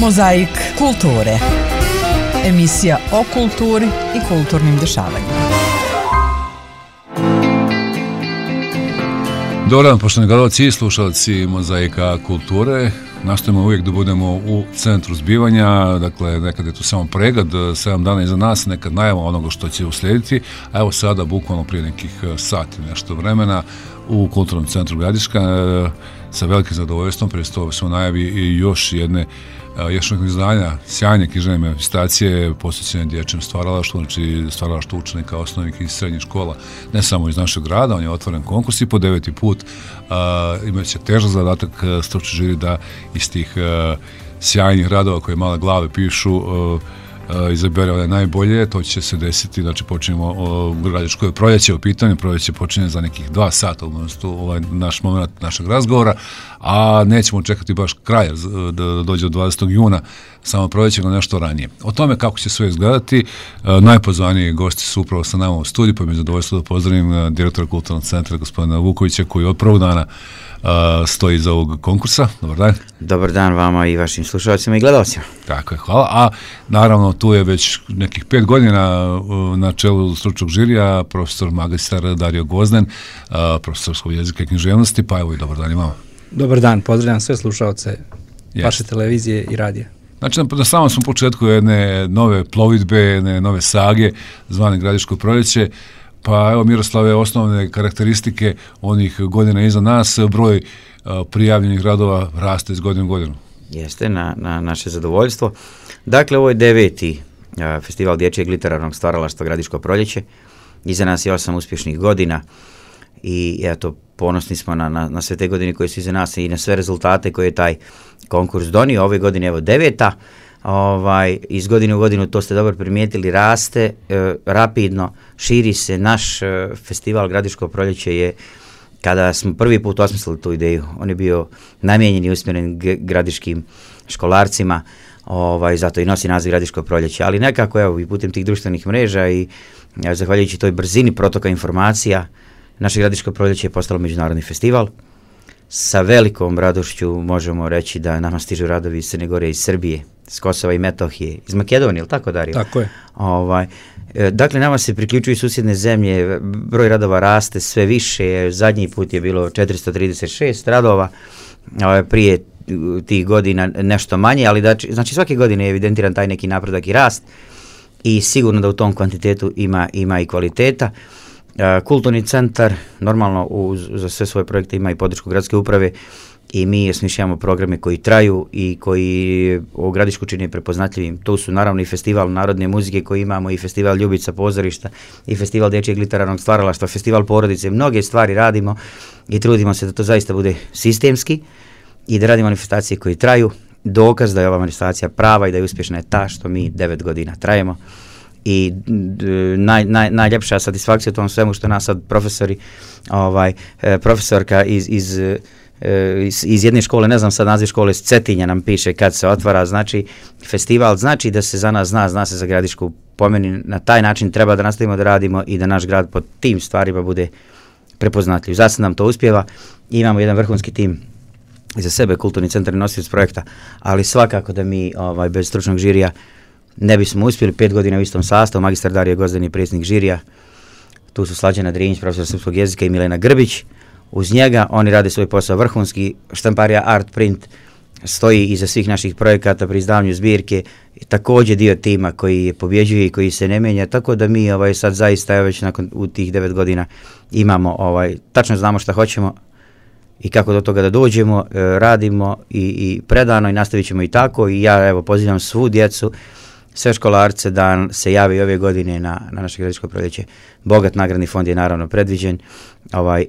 Mozaik kulture. Emisija o kulturi i kulturnim dešavanjima. Dobar dan, poštovani gledalci i slušalci Mozaika kulture. Nastojimo uvijek da budemo u centru zbivanja, dakle nekad je tu samo pregled, 7 dana iza nas, nekad najava onoga što će uslijediti, a evo sada bukvalno prije nekih sati nešto vremena u Kulturnom centru Gradiška sa velikim zadovoljstvom predstavljamo se u najavi i još jednog izdanja sjajne književne manifestacije posvećene dječjem stvaralaštvu, znači stvaralaštvu učenika osnovnih i srednjih škola, ne samo iz našeg grada. On je otvoren konkurs i po 9. put imat će težak zadatak stručni žiri da iz tih sjajnih radova koje male glave pišu izabere one najbolje. To će se desiti, znači počinjemo Gradiško proljeće u pitanju, proljeće počinje za nekih 2 sata ovaj naš moment našeg razgovora, a nećemo čekati baš kraj da dođe od 20. juna samo proljeće, no nešto ranije. O tome kako će sve izgledati, najpozvaniji gosti su upravo sa nama u studiju, pa mi je zadovoljstvo da pozdravim direktora Kulturnog centra gospodina Vukovića, koji od prvog dana stoji iza ovog konkursa. Dobar dan. Dobar dan vama i vašim slušalcima i gledalcima. Tako je, hvala. A naravno tu je već nekih 5 godina na čelu stručnog žirija profesor magistar Dario Gvozden, profesorskog jezika i književnosti, pa evo i dobar dan i vama. Dobar dan, pozdravljam sve slušalce vaše televizije i radija. Znači, na samom smo početku jedne nove plovidbe, jedne nove sage, zvane Gradiško proljeće. Pa evo, Miroslave, osnovne karakteristike onih godina iza nas, broj prijavljenih radova raste iz godine u godinu. Jeste, na naše zadovoljstvo. Dakle, ovo je 9. festival dječjeg literarnog stvaralaštva Gradiško proljeće. Iza nas je 8 uspješnih godina i eto, ponosni smo na sve te godine koje su iza nas i na sve rezultate koje je taj konkurs donio. Ove godine evo 9. Iz godine u godinu, to ste dobro primijetili, raste rapidno, širi se. Naš festival Gradiško proljeće je, kada smo prvi put osmislili tu ideju, on je bio namijenjen i usmjeren gradiškim školarcima, zato i nosi naziv Gradiško proljeće, ali nekako evo i putem tih društvenih mreža i zahvaljujući toj brzini protoka informacija, naše Gradiško proljeće je postalo međunarodni festival. Sa velikom radošću možemo reći da nama stižu radovi iz Crne Gore, iz Srbije, iz Kosova i Metohije, iz Makedonije, ili tako, Dario? Tako je. Dakle, nama se priključuju susjedne zemlje, broj radova raste sve više, zadnji put je bilo 436 radova, prije tih godina nešto manje, ali znači svake godine je evidentiran taj neki napredak i rast i sigurno da u tom kvantitetu ima i kvaliteta. Kulturni centar normalno za sve svoje projekte ima i podršku gradske uprave i mi osmišljavamo programe koji traju i koji u Gradišku čine prepoznatljivim. Tu su naravno i festival narodne muzike koji imamo, i festival Ljubica pozorišta, i festival dječjeg literarnog stvaralaštva, festival porodice. Mnoge stvari radimo i trudimo se da to zaista bude sistemski i da radimo manifestacije koji traju. Dokaz da je ova manifestacija prava i da je uspješna je ta što mi 9 godina trajemo. I najljepša satisfakcija u tom svemu što nas sad profesorka iz jedne škole, ne znam sad naziv škole, s Cetinja nam piše kad se otvara, znači festival, znači da se za nas zna se za Gradišku. Po meni na taj način treba da nastavimo da radimo i da naš grad po tim stvarima bude prepoznatljiv. Zasad nam to uspjeva, imamo jedan vrhunski tim iza sebe, Kulturni centar nosioc projekta, ali svakako da mi bez stručnog žirija ne bismo uspjeli. 5 godina u istom sastavu, magistar Dario Gvozden je predsjednik žirija, tu su Slađana Drinjić, profesor srpskog jezika, i Milena Grbić. Uz njega oni rade svoj posao vrhunski. Štamparija Art Print stoji iza svih naših projekata pri izdavanju zbirke, također dio tima koji pobjeđuje i koji se ne mijenja, tako da mi sad zaista već nakon u tih 9 godina imamo, tačno znamo šta hoćemo i kako do toga da dođemo, radimo i predano i nastavit ćemo i tako. I ja evo pozivam svu djecu, sve školarce da se javi ove godine na naše Gradiško proljeće. Bogat nagradni fond je naravno predviđen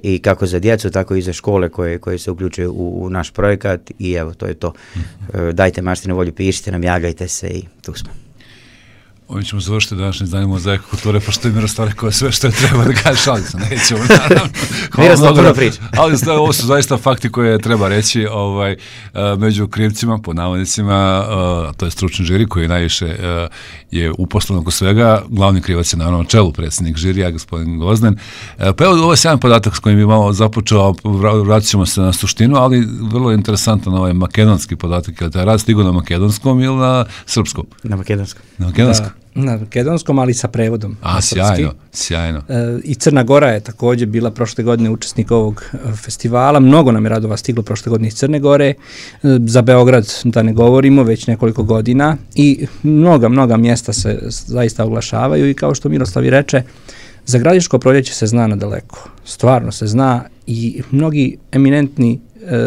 i kako za djecu, tako i za škole koje se uključuju u naš projekat i evo, to je to. Dajte maštinu volju, pišite nam, javljajte se i tu smo. Ovim ćemo završiti današnje izdanje Mozaika kulture, pošto je Miroslav rekao sve što je treba da kaže, ali se nećemo, naravno. Miroslav puno priča. Ali ovo su zaista fakti koje treba reći, među krivcima, po navodnicima, to je stručni žiri koji najviše je uposlen oko svega, glavni krivac je naravno na čelu predsjednik žirija, gospodin Gvozden. Pa evo, ovo je sjajan podatak s kojim bi malo započeo, vratit ćemo se na suštinu, ali vrlo je interesantan ovaj makedonski podatak, je li taj rad stigao na makedonskom ili na srpskom? Na makedonskom. Na makedonskom? Na makedonskom, ali sa prevodom. Sjajno. I Crna Gora je također bila prošle godine učesnik ovog festivala. Mnogo nam je radova stiglo prošle godine iz Crne Gore. Za Beograd da ne govorimo, već nekoliko godina. I mnoga mjesta se zaista oglašavaju i kao što Miroslav i reče, za Gradiško proljeće se zna nadaleko. Stvarno se zna i mnogi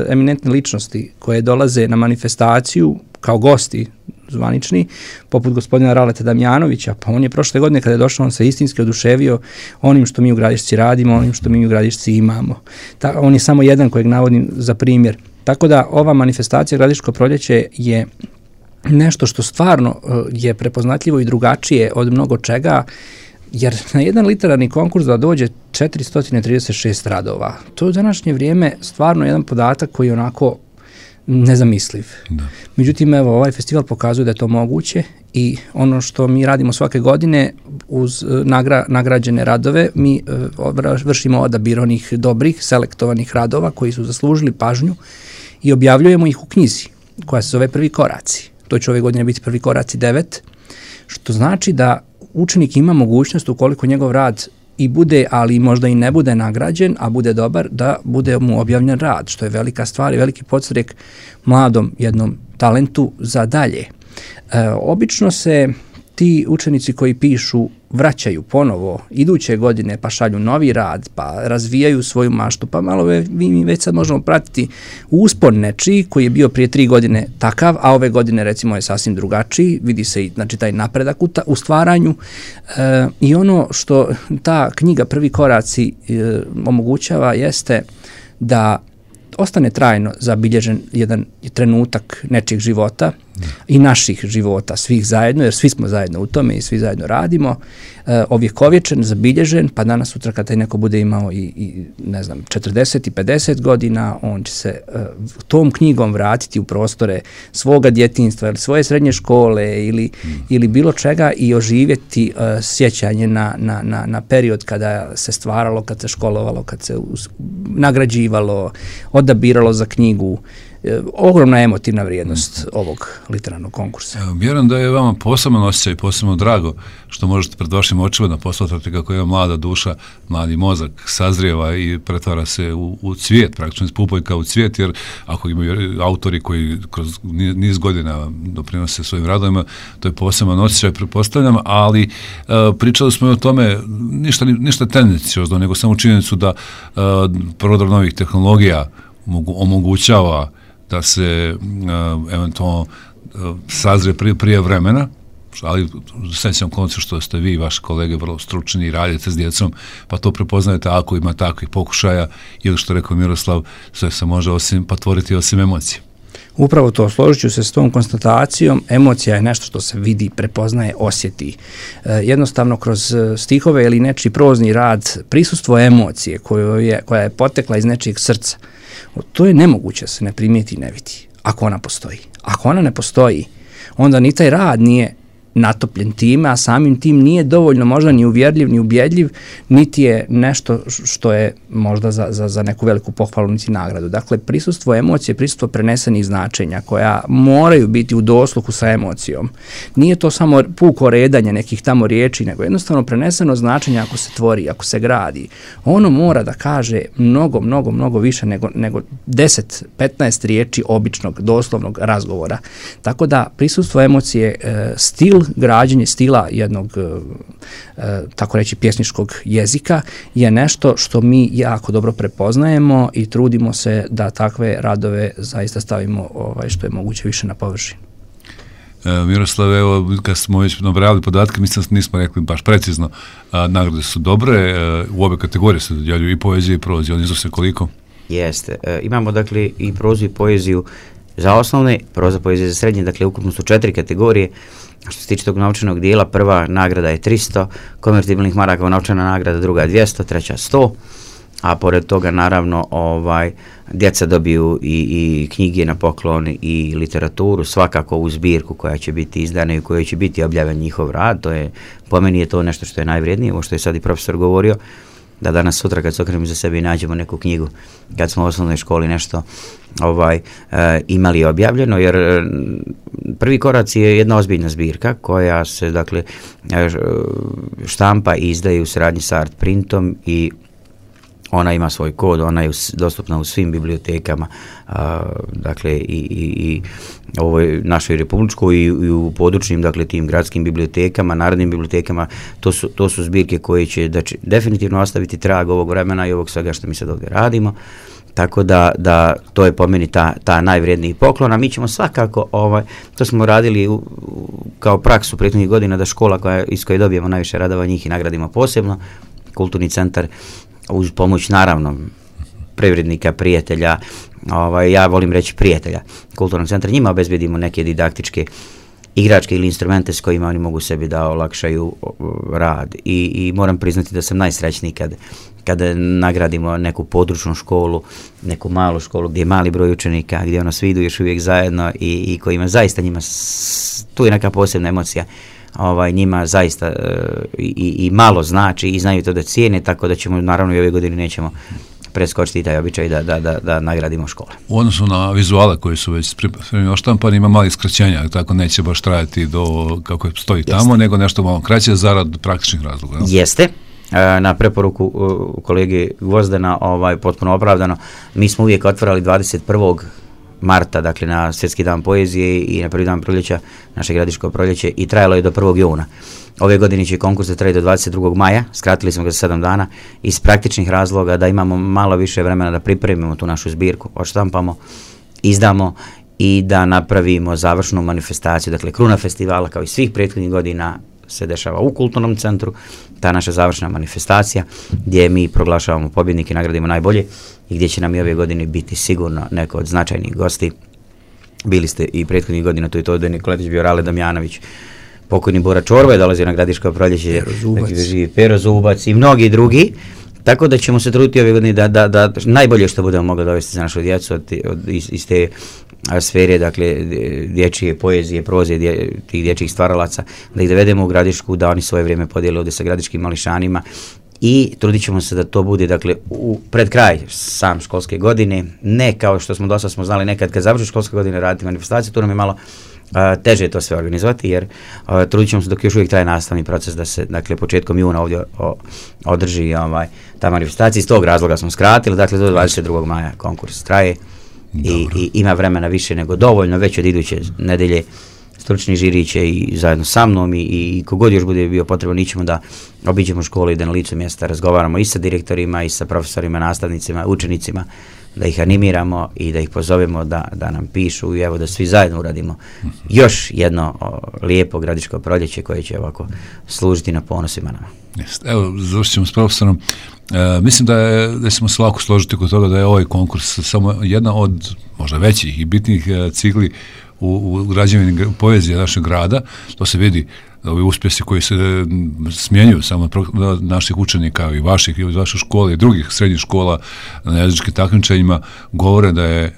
eminentne ličnosti koje dolaze na manifestaciju kao gosti zvanični, poput gospodina Raleta Damjanovića, pa on je prošle godine kada je došao, on se istinski oduševio onim što mi u Gradišci radimo, onim što mi u Gradišci imamo. On je samo jedan kojeg navodim za primjer. Tako da ova manifestacija Gradiško proljeće je nešto što stvarno je prepoznatljivo i drugačije od mnogo čega, jer na jedan literarni konkurs da dođe 436 radova. To je u današnje vrijeme stvarno jedan podatak koji je onako nezamisliv. Da. Međutim, evo, ovaj festival pokazuje da je to moguće i ono što mi radimo svake godine uz nagrađene radove, mi vršimo odabir onih dobrih, selektovanih radova koji su zaslužili pažnju i objavljujemo ih u knjizi koja se zove Prvi koraci. To će ove godine biti Prvi koraci 9, što znači da učenik ima mogućnost, ukoliko njegov rad i bude, ali možda i ne bude nagrađen, a bude dobar, da bude mu objavljen rad, što je velika stvar i veliki podstrek mladom jednom talentu za dalje. Obično se ti učenici koji pišu vraćaju ponovo iduće godine, pa šalju novi rad, pa razvijaju svoju maštu, pa malo mi već sad možemo pratiti uspon nečiji koji je bio prije 3 godine takav, a ove godine recimo je sasvim drugačiji, vidi se i znači, taj napredak u stvaranju i ono što ta knjiga Prvi koraci omogućava jeste da ostane trajno zabilježen jedan trenutak nečijeg života i naših života, svih zajedno, jer svi smo zajedno u tome i svi zajedno radimo, ovjekovječen, zabilježen, pa danas sutra kad taj neko bude imao i ne znam, 40 i 50 godina, on će se tom knjigom vratiti u prostore svoga djetinjstva ili svoje srednje škole ili bilo čega i oživjeti sjećanje na period kada se stvaralo, kad se školovalo, kad se nagrađivalo, odabiralo za knjigu. Ogromna emotivna vrijednost ovog literarnog konkursa. Vjerujem da je vama poseban osjećaj i posebno drago što možete pred vašim očima da posmatrate kako jedna mlada duša, mladi mozak sazrijeva i pretvara se u cvijet, praktično pupojka u cvijet, jer ako imaju autori koji kroz niz godina doprinose svojim radovima, to je poseban osjećaj, pretpostavljam, ali pričali smo i o tome ništa tendenciozno, nego samo činjenicu da prodor novih tehnologija omogućava da se eventualno sazre prije vremena, ali sećam koncu što ste vi i vaši kolege vrlo stručni i radite s djecom, pa to prepoznajete ako ima takvih pokušaja ili što rekao Miroslav, sve se može patvoriti osim emocije. Upravo to, složit ću se s tom konstatacijom, emocija je nešto što se vidi, prepoznaje, osjeti. Jednostavno kroz stihove ili nečiji prozni rad, prisustvo emocije koja je potekla iz nečijeg srca, to je nemoguće se ne primijeti i ne vidi, ako ona postoji. Ako ona ne postoji, onda ni taj rad nije natopljen time, a samim tim nije dovoljno možda ni uvjerljiv, ni ubjedljiv, niti je nešto što je možda za neku veliku pohvalu, niti nagradu. Dakle, prisustvo emocije, prisustvo prenesenih značenja koja moraju biti u dosluhu sa emocijom. Nije to samo puko redanje nekih tamo riječi, nego jednostavno preneseno značenje ako se tvori, ako se gradi. Ono mora da kaže mnogo više nego 10-15 riječi običnog, doslovnog razgovora. Tako da prisustvo emocije, stil, građenje stila jednog, tako reći, pjesničkog jezika je nešto što mi jako dobro prepoznajemo i trudimo se da takve radove zaista stavimo što je moguće više na površinu. Miroslav, evo, kad smo već nabrali podatke, mislim da nismo rekli baš precizno, nagrade su dobre, u obe kategorije se dodjeljuju i poezija i prozija, oni iznose koliko? Jeste, imamo dakle i prozu i poeziju za osnovne, proza, poezija za srednje, dakle ukupno su 4 kategorije. Što se tiče tog novčanog dijela, prva nagrada je 300 konvertibilnih maraka, novčana nagrada, druga je 200, treća 100, a pored toga naravno djeca dobiju i knjige na poklon i literaturu, svakako u zbirku koja će biti izdana i u kojoj će biti objavljen njihov rad. To je, po meni je to nešto što je najvrijednije, ovo što je sad i profesor govorio, da danas sutra kad se okrenemo za sebe i nađemo neku knjigu, kad smo u osnovnoj školi nešto imali objavljeno, jer prvi korac je jedna ozbiljna zbirka koja se dakle štampa i izdaje u saradnji sa Art Printom i ona ima svoj kod, ona je dostupna u svim bibliotekama, dakle i ovoj našoj republičkoj i u područnim, dakle tim gradskim bibliotekama, narodnim bibliotekama. To su zbirke koje će definitivno ostaviti trag ovog vremena i ovog svega što mi sad ovdje radimo. Tako da to je po meni ta najvrijedniji poklon, a mi ćemo svakako, to smo radili kao praksu prethodnih godina, da škola iz koje dobijemo najviše radova, njih i nagradimo posebno, kulturni centar, uz pomoć naravno privrednika, prijatelja, ja volim reći prijatelja kulturnog centra, njima obezbedimo neke didaktičke igračke ili instrumente s kojima oni mogu sebi da olakšaju rad i moram priznati da sam najsrećniji kad nagradimo neku područnu školu, neku malu školu gdje je mali broj učenika, gdje svi idu još uvijek zajedno i kojima zaista njima, tu je neka posebna emocija, njima zaista i malo znači i znaju to da cijene, tako da ćemo naravno i ove godine nećemo preskočiti taj običaj da nagradimo škole. U odnosu na vizuale koji su već oštampani, ima malih skraćenja, tako neće baš trajati do kako stoji tamo, nego nešto malo kraće zarad praktičnih razloga. Jeste. Na preporuku kolege Gvozdena, potpuno opravdano, mi smo uvijek otvarali 21. marta, dakle na Svjetski dan poezije i na prvi dan proljeća, naše gradiško proljeće, i trajalo je do 1. juna. Ove godine će konkurs da traje do 22. maja, skratili smo ga za 7 dana, iz praktičnih razloga da imamo malo više vremena da pripremimo tu našu zbirku, odštampamo, izdamo i da napravimo završnu manifestaciju, dakle kruna festivala kao i svih prethodnih godina se dešava u kulturnom centru, ta naša završna manifestacija gdje mi proglašavamo pobjednike, nagradimo najbolje i gdje će nam i ove godine biti sigurno neko od značajnih gosti. Bili ste i prethodnih godina, to je to da je Nikoletić bio Rale Damjanović, pokojni Bora Čorba je dolazio na gradiško proljeće, Pero Zubac i mnogi drugi, tako da ćemo se truditi ove godine da najbolje što budemo mogli dovesti za našu djecu iz te sfere, dakle dječje poezije, proze, tih dječjih stvaralaca, da ih dovedemo u Gradišku, da oni svoje vrijeme podijele ovdje sa gradiškim mališanima i trudit ćemo se da to bude, dakle, pred kraj sam školske godine, ne kao što smo dosta smo znali nekad kad završi školska godina raditi manifestaciju, tu nam je malo teže to sve organizovati, jer trudit ćemo se dok još uvijek traje nastavni proces da se, dakle, početkom juna ovdje održi ta manifestacija. Iz tog razloga smo skratili, dakle, do 22. maja konkurs traje i ima vremena više nego dovoljno, već od iduće nedelje stručni žiri će i zajedno sa mnom i kogod još bude bio potrebno, ićemo da obiđemo školu i da na licu mjesta razgovaramo i sa direktorima i sa profesorima, nastavnicima, učenicima, da ih animiramo i da ih pozovemo da nam pišu i evo da svi zajedno uradimo još jedno lijepo gradiško proljeće koje će ovako služiti na ponosima nama. Evo, završit ćemo s profesorom. Mislim da ćemo se lako složiti kod toga da je ovaj konkurs samo jedna od možda većih i bitnijih cigli u građevini poezije našeg grada. To se vidi, ovi uspjesi koji se smjenjuju samo naših učenika i vaših i od vaše škole i drugih srednjih škola na jezičkim takmičenjima govore da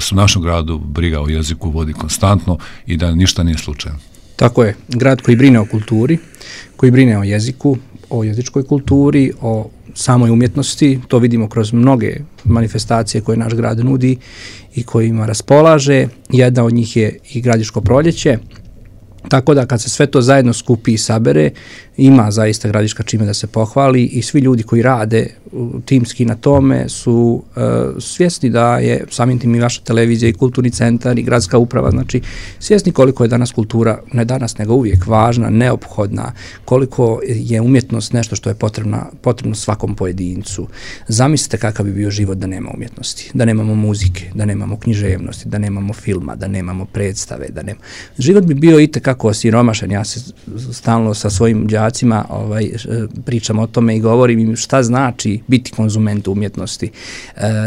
su u našem gradu briga o jeziku vodi konstantno i da ništa nije slučajno. Tako je, grad koji brine o kulturi, koji brine o jeziku, o jezičkoj kulturi, o samoj umjetnosti, to vidimo kroz mnoge manifestacije koje naš grad nudi i kojima raspolaže. Jedna od njih je i Gradiško proljeće, tako da kad se sve to zajedno skupi i sabere, ima zaista Gradiška čime da se pohvali i svi ljudi koji rade timski na tome su svjesni da je samim tim i vaša televizija i kulturni centar i gradska uprava, znači svjesni koliko je danas kultura, ne danas nego uvijek važna, neophodna, koliko je umjetnost nešto što je potrebno svakom pojedincu. Zamislite kakav bi bio život da nema umjetnosti, da nemamo muzike, da nemamo književnosti, da nemamo filma, da nemamo predstave, život bi bio itekako jako osiromašen. Ja se stalno sa svojim đacima pričam o tome i govorim im šta znači biti konzument umjetnosti.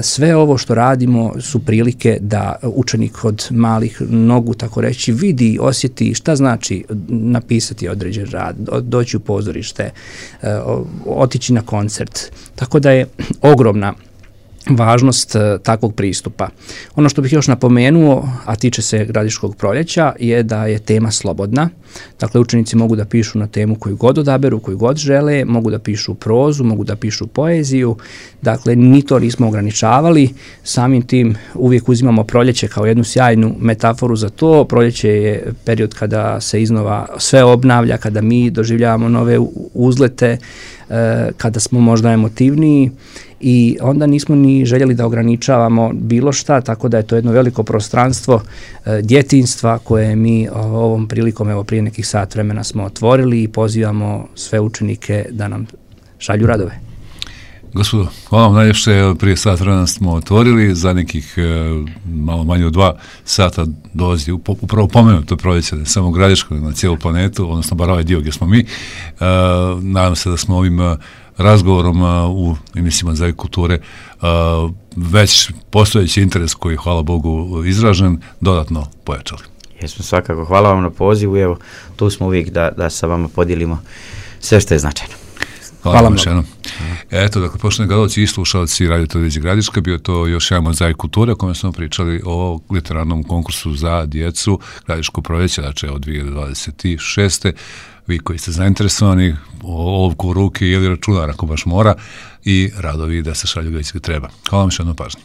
Sve ovo što radimo su prilike da učenik od malih nogu, tako reći, vidi, osjeti šta znači napisati određen rad, doći u pozorište, otići na koncert. Tako da je ogromna važnost takvog pristupa. Ono što bih još napomenuo, a tiče se Gradiškog proljeća, je da je tema slobodna. Dakle, učenici mogu da pišu na temu koju god odaberu, koju god žele, mogu da pišu prozu, mogu da pišu poeziju. Dakle, ni to nismo ograničavali. Samim tim uvijek uzimamo proljeće kao jednu sjajnu metaforu za to. Proljeće je period kada se iznova sve obnavlja, kada mi doživljavamo nove uzlete, kada smo možda emotivniji i onda nismo ni željeli da ograničavamo bilo šta, tako da je to jedno veliko prostranstvo djetinjstva koje mi ovom prilikom, evo prije nekih sat vremena smo otvorili i pozivamo sve učenike da nam šalju radove. Gospodo, hvala vam najljepše, prije sat vremena smo otvorili, za nekih malo manje od 2 sata dolazi upravo pomenuto proljeće, ne samo Gradiško, na cijelu planetu, odnosno bar ovaj dio gdje smo mi. Nadam se da smo ovim razgovorom u emisijama Mozaik kulture već postojeći interes koji, hvala Bogu, izražen, dodatno pojačali. Jesmo, svakako. Hvala vam na pozivu, evo, tu smo uvijek da sa vama podijelimo sve što je značajno. Hvala vam još jednom. Eto, dakle, poštovani gledalci i slušalci Radio Televizije Gradiška, bio to još jedan Mozaik kulture, o kome smo pričali o literarnom konkursu za djecu Gradiško proljeće, znači od 2026. Vi koji ste zainteresovani, olovku u ruki ili računar ako baš mora i radovi da se šalju gdje treba. Hvala vam još jednom pažnji.